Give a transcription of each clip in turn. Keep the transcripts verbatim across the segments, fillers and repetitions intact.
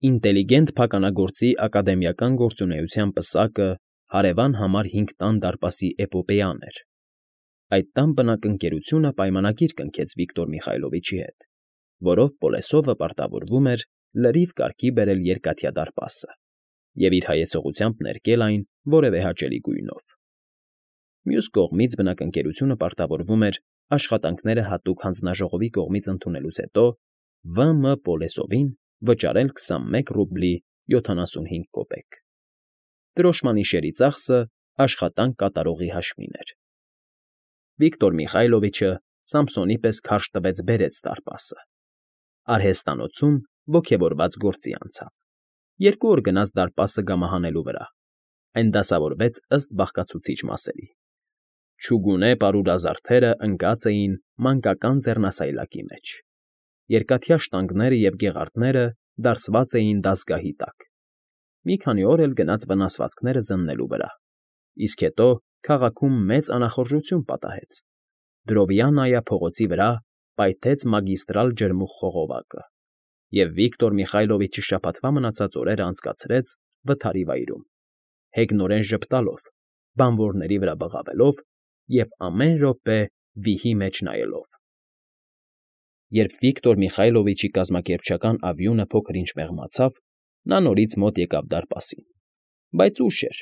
Ինտելիգենտ փականագործի ակադեմիական գործունեության պսակը հարևան համար հինգ տան դարպասի էպոպեան էր. այդ տան բնակընկերությունը պայմանագիր կնքեց Վիկտոր Միխայլովիչի հետ, որով Պոլեսովը պարտավորվում էր լրիվ կարգի բերել երկաթյա դարպասը և իր հայեցողությամբ ներկել այն որևէ հաճելի գույնով։ Մյուս կողմից բնակընկերությունը պարտավորվում էր աշխատանքները հատուկ հանձնաժողովի կողմից ընդունելուց հետո V M Պոլեսովին վճարել քսանմեկ ռուբլի յոթանասունհինգ կոպեկ։ Դրոշմանիշերի ծախսը աշխատանք կատարողի հաշվին էր։ Վիկտոր Միխայլովիչը Սամսոնի պես քարշ տվեց բերեց դարպասը։ Արհեստանոցում ոգևորված գործի անցավ։ Երկու օր գնաց դարպասը գամահանելու վրա։ Այն դասավորվեց ըստ բաղկացուցիչ մասերի։ Չուգունե պարուրազարդերը ընկած էին մանկական ձեռնասայլակի մեջ։ Երկաթյա շտանգները և գեղարդները դարսված էին դասգահի տակ։ Մի քանի օր էլ գնաց վնասվածքները զննելու վրա, իսկ հետո քաղաքում մեծ անախորժություն պատահեց։ Դրովյաննայա փողոցի վրա պայթեց մագիստրալ ջրմուղ խողովակը, և Վիկտոր Միխայլովիչը շաբաթվա մնացած օրերն անցկացրեց վթարի վայրում, հեգնորեն ժպտալով, բանվորների վրա բղավելով և ամեն րոպե վիհի մեջ նայելով։ Երբ Վիկտոր Միխայլովիչի կազմակերպչական ավյունը փոքր-ինչ մեղմացավ, նա նորից մոտ եկավ դարպասին։ Բայց ուշ էր։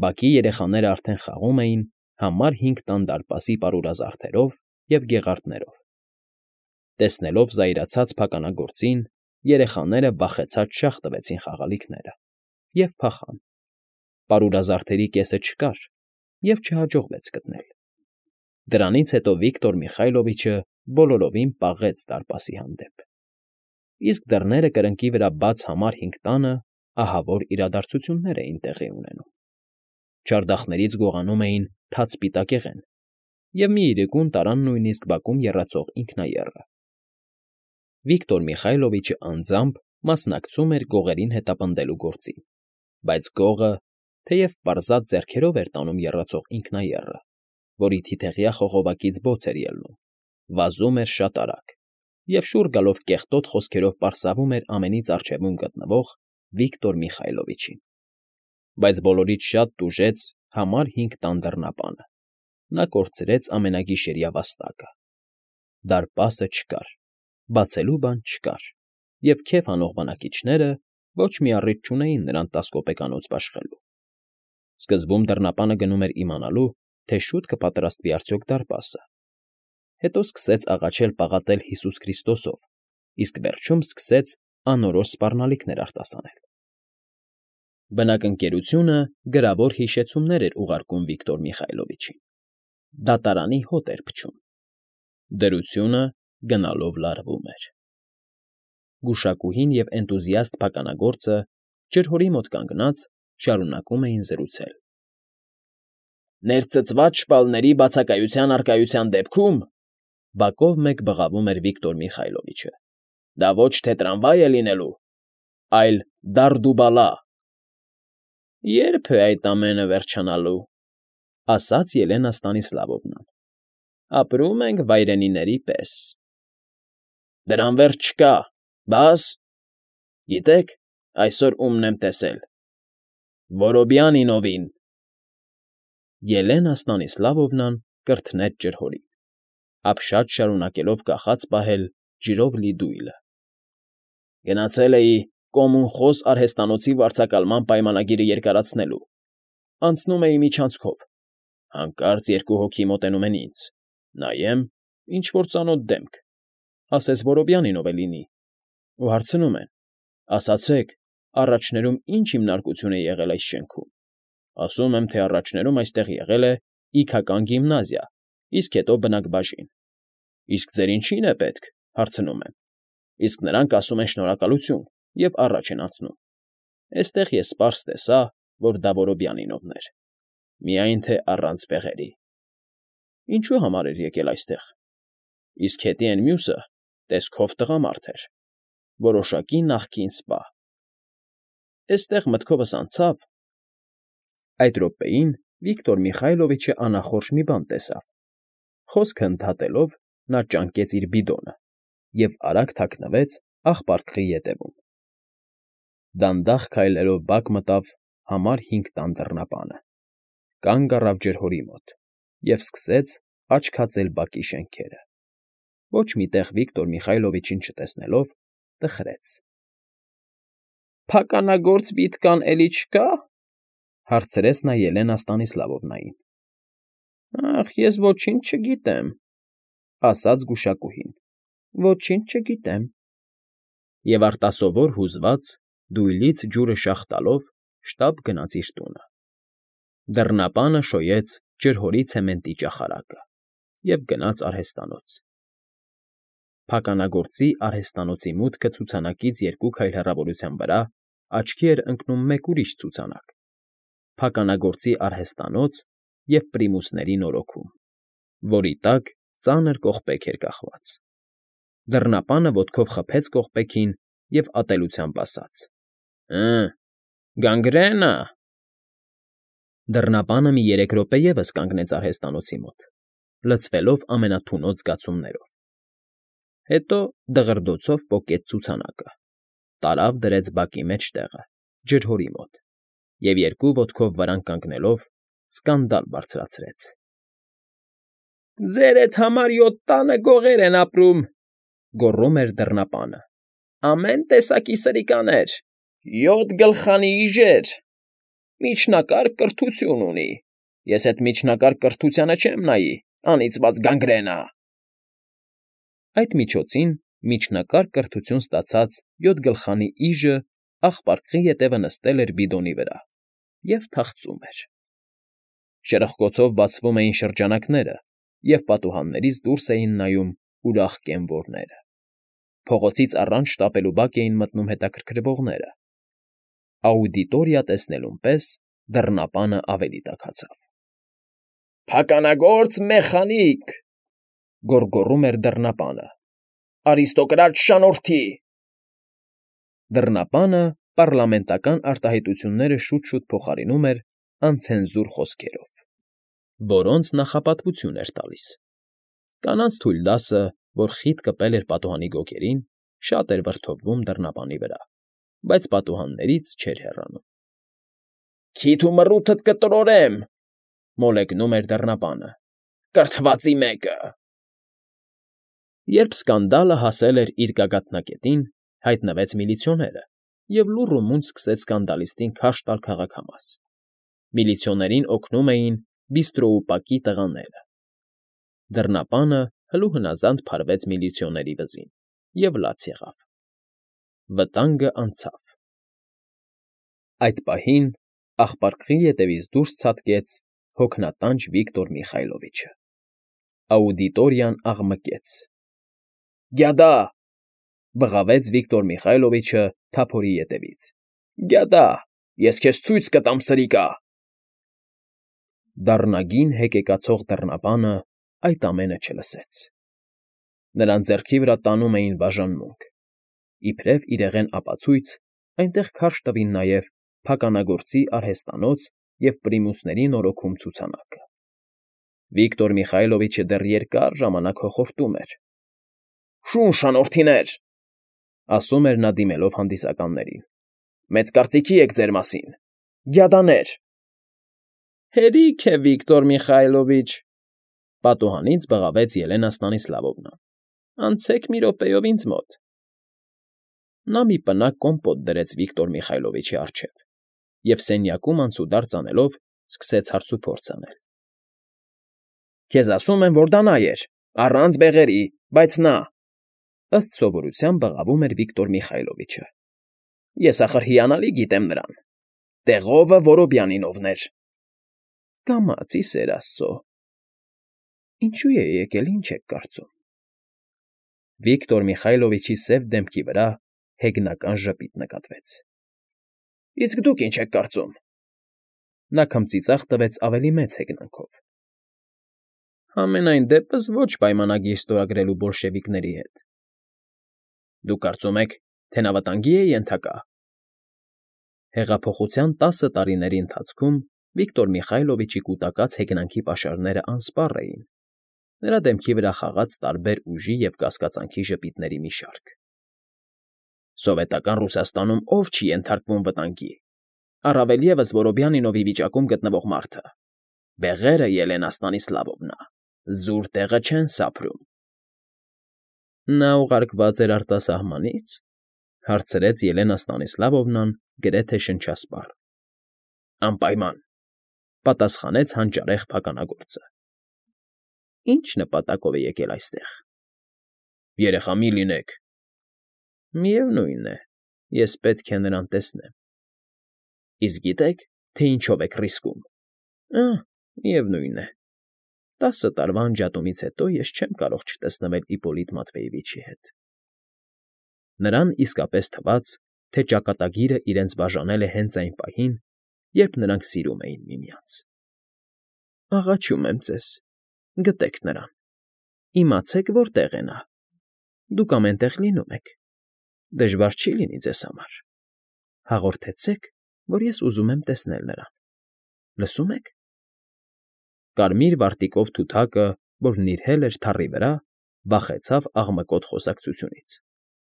Բակի երեխաներն արդեն խաղում էին համար հինգ տան դարպասի պարուրազարդերով և գեղարդներով։ Տեսնելով զայրացած փականագործին, երեխաները վախեցած շաղ տվեցին խաղալիքները և փախան։ Պարուրազարդերի կեսը չկար և չհաջողվեց գտնել։ Դրանից հետո Վիկտոր Միխայլովիչը բոլորովին պաղեց դարպասի հանդեպ։ Իսկ դռները կրկնակի վրա բաց համար հինգ տանը ահավոր իրադարձություններ էին տեղի ունենում։ Չարդախներից գողանում էին թաց սպիտակեղեն, և մի իրիկուն տարան նույնիսկ բակում եռացող ինքնաեռը։ Վիկտոր Միխայլովիչը անձամբ մասնակցում էր գողերին հետապնդելու գործին, բայց գողը, թեև պարզած ձեռքերով էր տանում եռացող ինքնաեռը, որի թիթեղյա խողովակից բոց էր ելնում, վազում էր շատ արագ և շուռ գալով կեղտոտ խոսքերով պարսավում էր ամենից առջևում գտնվող Վիկտոր Միխայլովիչին։ Բայց բոլորից շատ տուժեց համար հինգ տան դռնապանը։ Նա կորցրեց ամենագիշերյա վաստակը։ Դարպասը չկար, բացելու բան չկար, և քեֆ անող բնակիչները ոչ մի առիթ չունեին նրան տաս կոպեկանոց բաշխելու։ Սկզբում դռնապանը գնում էր իմանալու, թե շուտ կպատրաստվի արդյոք դարպասը, հետո սկսեց աղաչել֊պաղատել Հիսուս Քրիստոսով, իսկ վերջում սկսեց անորոշ սպառնալիքներ արտասանել։ Բնակընկերությունը գրավոր հիշեցումներ էր ուղարկում Վիկտոր Միխայլովիչին։ Դատարանի հոտ էր փչում։ Դրությունը գնալով լարվում էր։ Գուշակուհին և էնտուզիաստ փականագործը, ջրհորի մոտ կանգնած, շարունակում էին զրուցել։ «Ներծծված շպալների բացակայության առկայության դեպքում,֊ բակով մեկ բղավում էր Վիկտոր Միխայլովիչը,֊ դա ոչ թե տրամվայ է լինելու, այլ դարդուբալա»։ «Ե՞րբ է այդ ամենը վերջանալու,֊ ասաց Ելենա Ստանիսլավովնան։֊ Ապրում ենք վայրենիների պես։ Դրան վերջ չկա, բաս… Գիտե՞ք այսօր ումն եմ տեսել… Որոբյանինովին… Ելենա Ստանիսլավովնան կրթնեց ջրհորին, ապշած շարունակելով կախած պահել ջրով լի դույլը։ Գնացել էի Կոմունխոս արհեստանոցի վարձակալման պայմանագիրը երկարացնելու, անցնում էի միջանցքով, հանկարծ երկու հոգի մոտենում են ինձ, նայեմ, ինչ֊որ ծանոթ դեմք, ասես Որոբյանինով է լինի, ու հարցնում են. ասացեք, առաջներում ի՞նչ հիմնարկություն է եղել այս շենքում։ Ասում եմ, թե առաջներում այստեղ եղել է իգական գիմնազիա, իսկ հետո բնակբաժին։ Իսկ ձեր ինչի՞ն է պետք, հարցնում եմ։ Իսկ նրանք ասում են շնորհակալություն և առաջ են անցնում։ Էստեղ ես պարզ տեսա, որ դա Որոբյանինովն էր, միայն թե առանց բեղերի։ Ինչու համար էր եկել այստեղ։ Իսկ հետի էն մյուսը տեսքով տղամարդ էր, որոշակի նախկին սպա։ Էստեղ մտքովս անցավ… Այդ րոպեին Վիկտոր Միխայլովիչը անախորժ մի բան տեսավ։ Խոսքը ընդհատելով՝ նա ճանկեց իր բիդոնը և արագ թաքնվեց աղբարկղի ետևում։ Դանդաղ քայլերով բակ մտավ համար հինգ տան դռնապանը, կանգ առավ ջրհորի մոտ և սկսեց աչքածել բակի շենքերը, ոչ մի տեղ Վիկտոր Միխայլովիչին չտեսնելով, տխրեց։ ֊ Փականագործ Վիտկան էլի չկա՞, հարցրեց նա Ելենա Ստանիսլավովնային։ ֊ Ախ, ես ոչինչ չգիտեմ,֊ ասաց գուշակուհին,֊ ոչինչ չգիտեմ… Եվ արտասովոր հուզված, դույլից ջուրը շաղ տալով շտապ գնաց իր տունը։ Դռնապանը շոյեց ջրհորի ցեմենտի ճախարակը և գնաց արհեստանոց։ Փականագործի արհեստանոցի մուտքը ցուցանակից երկու քայլ հեռավորության վրա աչքի էր ընկնում մեկ ուրիշ ցուցանակ՝ Փականագործի արհեստանոց և պրիմուսների նորոգում, որի տակ ծանր կողպեք էր կախված։ Դռնապանը ոտքով խփեց կողպեքին և ատելությամբ ասաց. «Հը՜, գանգրե՞ն ա»։ Դռնապանը մի երեք րոպե ևս կանգնեց արհեստանոցի մոտ, լցվելով ամենաթունոց զգացումներով, հետո դղրդոցով պոկեց ցուցանակը, տարավ դրեց բակի մեջտեղը, ջրհորի մոտ և երկու ոտքով վրան կանգնելով սկանդալ բարձրացրեց. «Ձեր էդ համար յոթ տանը գողեր են ապրում,֊ գոռում էր դռնապանը,֊ ամեն տեսակի սրիկաներ, յոթ գլխանի իժեր, միջնակարգ կրթություն ունի, ես էդ միջնակարգ կրթությանը չեմ նայի, անիծված գանգրենա…»։ Այդ միջոցին միջնակարգ կրթություն ստացած յոթ գլխանի իժը աղպարկղի ետևը նստել էր բիդոնի վրա և թախծում էր։ Շրխկոցով բացվում էին շրջանակները, և պատուհաններից դուրս էին նայում ուրախ կենվորները։ Փողոցից առաջ շտապելու բակ էին մտնում հետաքրքրվողները։ Աուդիտորիա տեսնելուն պես դռնապանը ավելի տաքացավ։ ֊ Փականագործ մեխանիկ,֊ գոռգոռում էր դռնապանը,֊ արիստոկրատ շանորդի… Դռնապանը պառլամենտական արտահայտությունները շուտ֊շուտ փոխարինում էր անցենզուր խոսքերով, որոնց նախապատվություն էր տալիս։ Կանանց թույլ դասը, որ խիտ կպել էր պատուհանի գոգերին, շատ էր վրդովվում դռնապանի վրա, բայց պատուհաններից չէր հեռանում։ ֊ Քիթ ու մռութդ կտրորեմ,֊ մոլեգնում էր դռնապանը,֊ կրթվածի մեկը… Երբ սկանդալը հասել էր իր գագաթնակետին, հայտնվեց միլիցիոները և լուռ ու մունջ սկսեց սկանդալիստին քարշ տալ քաղաքամաս։ Միլիցիոներին օգնում էին բիստրոուպակի տղաները։ Դռնապանը հլուհնազանդ փարվեց միլիցիոների վզին և լաց եղավ։ Վտանգը անցավ։ Այդ պահին աղպարկղի ետևից դուրս ցատկեց հոգնատանջ Վիկտոր Միխայլովիչը։ Աուդիտորիան աղմկեց։ ֊ Գյադա՜…֊ բղավեց Վիկտոր Միխայլովիչը թափորի ետևից։֊ Գյադա՜, ես քեզ ցույց կտամ, սրիկա… Դառնագին հեկեկացող դռնապանը այդ ամենը չլսեց։ Նրան ձեռքի վրա տանում էին բաժանմունք։ Իբրև իրեղեն ապացույց այնտեղ քարշ տվին նաև Փականագործի արհեստանոց և պրիմուսների նորոգում ցուցանակը։ Վիկտոր Միխայլովիչը դեռ երկար ժամանակ հոխորտում էր։ ֊ Շուն շանորդիներ,֊ ասում էր նա դիմելով հանդիսականներին,֊ մեծ կարծիքի եք ձեր մասին, գյադաներ… ֊ Հերիք է, Վիկտոր Միխայլովիչ,֊ պատուհանից բղավեց Ելենա Ստանիսլավովնան,֊ անցեք մի րոպեով ինձ մոտ… Նա մի պնակ կոմպոտ դրեց Վիկտոր Միխայլովիչի առջև և սենյակում անցուդարձ անելով սկսեց հարցուփորձ անել։ ֊ Քեզ ասում եմ, որ դա նա էր, առանց բեղերի, բայց նա…֊ ըստ սովորության բղավում էր Վիկտոր Միխայլովիչը։ ֊ Ես, ախր, հիանալի գիտեմ նրան… Տեղովը Որոբյանին ովներ… ֊ Կամաց, ի սեր աստծո… Ինչո՞ւ է եկել, ինչ եք կարծում… Վիկտոր Միխայլովիչի սև դեմքի վրա հեգնական ժպիտ նկատվեց։ ֊ Իսկ դուք ինչ եք կարծում… Նա քմծիծաղ տվեց ավելի մեծ հեգնանքով։ ֊ Համենայն դեպս ոչ պայմանագիր ստորագրելու բոլշևիկների հետ… Դուք կարծում եք, թե նա վտանգի է ենթակա… Հեղափոխության տասը տարիների ընթացքում Վիկտոր Միխայլովիչի կուտակած հեգնանքի պաշարներն անսպառ էին, նրա դեմքի վրա խաղաց տարբեր ուժի և կասկածանքի ժպիտների մի շարք։ Սովետական Ռուսաստանում ով չի ենթարկվում վտանգի, առավել ևս Որոբյանինովի վիճակում գտնվող մարդը։ Բեղերը, Ելենա Ստանիսլավովնա, զուր տեղը չեն սափրում։ Նա ուղարկված էր արտասահմանի՞ց,֊ հարցրեց Ելենա Ստանիսլավովնան գրեթե շնչասպառ։ ֊ Անպայման,֊ պատասխանեց հանճարեղ փականագործը։ ֊ Ի՞նչ նպատակով է եկել այստեղ։ ֊ Երեխա մի լինեք։ ֊ Միևնույն է, ես պետք է նրան տեսնեմ։ ֊ Իսկ գիտե՞ք, թե ինչով եք ռիսկում։ ֊ Ա՛, միևնույն է, տասը տարվա անջատումից հետո ես չեմ կարող չտեսնվել Իպոլիտ Մատվեևիչի հետ… Նրան իսկապես թվաց, թե ճակատագիրը իրենց բաժանել է հենց այն պահին, երբ նրանք սիրում էին միմյանց։ ֊ Աղաչում եմ ձեզ, գտեք նրան, իմացեք որտեղ է նա, դուք ամեն տեղ լինում եք, դժվար չի լինի ձեզ համար, հաղորդեցեք, որ ես ուզում եմ տեսնել նրան, լսո՞ւմ եք… Կարմիր վարտիքով թութակը, որ նիրհել էր թառի վրա, վախեցավ աղմկոտ խոսակցությունից,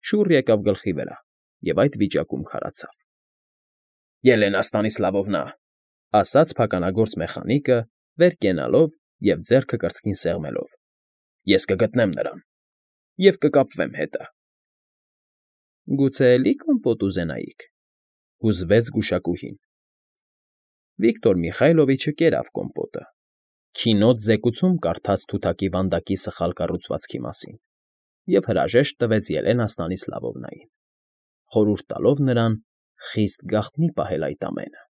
շուռ եկավ գլխի վրա և այդ վիճակում քարացավ։ ֊ Ելենա Ստանիսլավովնա,֊ ասաց փականագործ մեխանիկը, վեր կենալով և ձեռքը կրծքին սեղմելով,֊ ես կգտնեմ նրան և կկապվեմ հետը։ ֊ Գուցե էլի կոմպոտ ուզենայիք,֊ հուզվեց գուշակուհին։ Վիկտոր Միխայլովիչը կերավ կոմպոտը, քինոտ զեկուցում կարդաց թութակի վանդակի սխալ կառուցվածքի մասին և հրաժեշտ տվեց Ելենա Ստանիսլավովնային, խորհուրդ տալով նրան խիստ գաղտնի պահել այդ ամենը։